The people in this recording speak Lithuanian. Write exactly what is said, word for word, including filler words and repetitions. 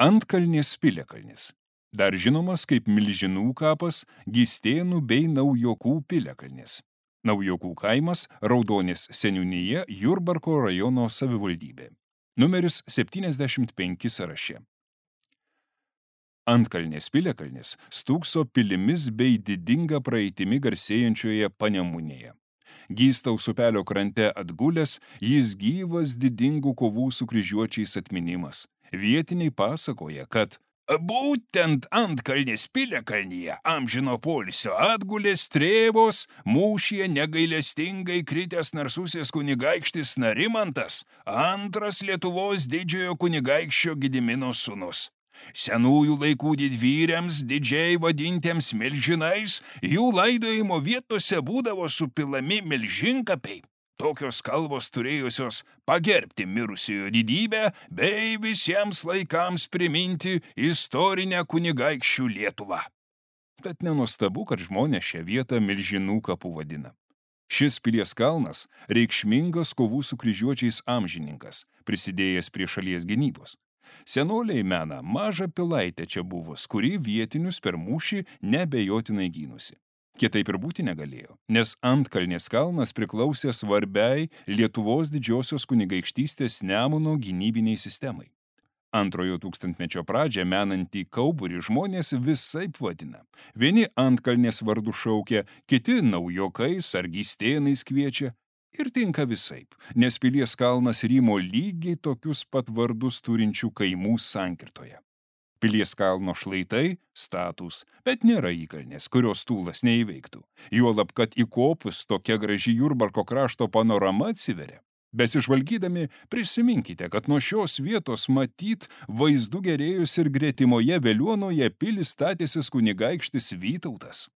Antkalnės piliakalnis. Dar žinomas kaip Milžinų kapas, Gystėnų bei Naujokų piliakalnis. Naujokų kaimas, Raudonės seniūnija, Jurbarko rajono savivaldybė. Numeris septyniasdešimt penki sąraše. Antkalnės piliakalnis stūkso pilimis bei didinga praeitimi garsėjančioje Panemunėje. Gystaus upelio krante atgulęs, jis gyvas didingų kovų su kryžiuočiais atminimas. Vietiniai pasakoja, kad būtent Antkalnės piliakalnyje amžino poilsio atgulė Strėvos mūšyje negailestingai kritęs narsusis kunigaikštis Narimantas, antras Lietuvos didžiojo kunigaikščio Gedimino sūnus. Senųjų laikų didvyriams, didžiai vadintiems milžinais, jų laidojimo vietose būdavo supilami milžinkapiai. Tokios kalvos turėjusios pagerbti mirusiojo didybę bei visiems laikams priminti istorinę kunigaikščių Lietuvą. Bet nenuostabu, kad žmonės šią vietą Milžinų kapų vadina. Šis pilies kalnas reikšmingas kovų su kryžiuočiais amžininkas, prisidėjęs prie šalies gynybos. Senoliai mena mažą pilaitę čia buvus, kuri vietinius per mūšį neabejotinai gynusi. Kitaip ir būti negalėjo, nes Antkalnės kalnas priklausė svarbiai Lietuvos didžiosios kunigaikštystės Nemuno gynybiniai sistemai. Antrojo tūkstantmečio pradžią menantį Kauburį žmonės visaip vadina. Vieni Antkalnės vardu šaukia, kiti Naujokais ar Gystėnais kviečia. Ir tinka visaip, nes pilies kalnas rymo lygiai tokius pat vardus turinčių kaimų sankirtoje. Pilies kalno šlaitai statūs, bet nėra įkalnės, kurios tūlas neįveiktų. Juolab, kad įkopus tokia graži Jurbarko krašto panorama atsiveria. Besižvalgydami, prisiminkite, kad nuo šios vietos matyt vaizdu gerėjus ir gretimoje Veliuonoje pilį statęsis kunigaikštis Vytautas.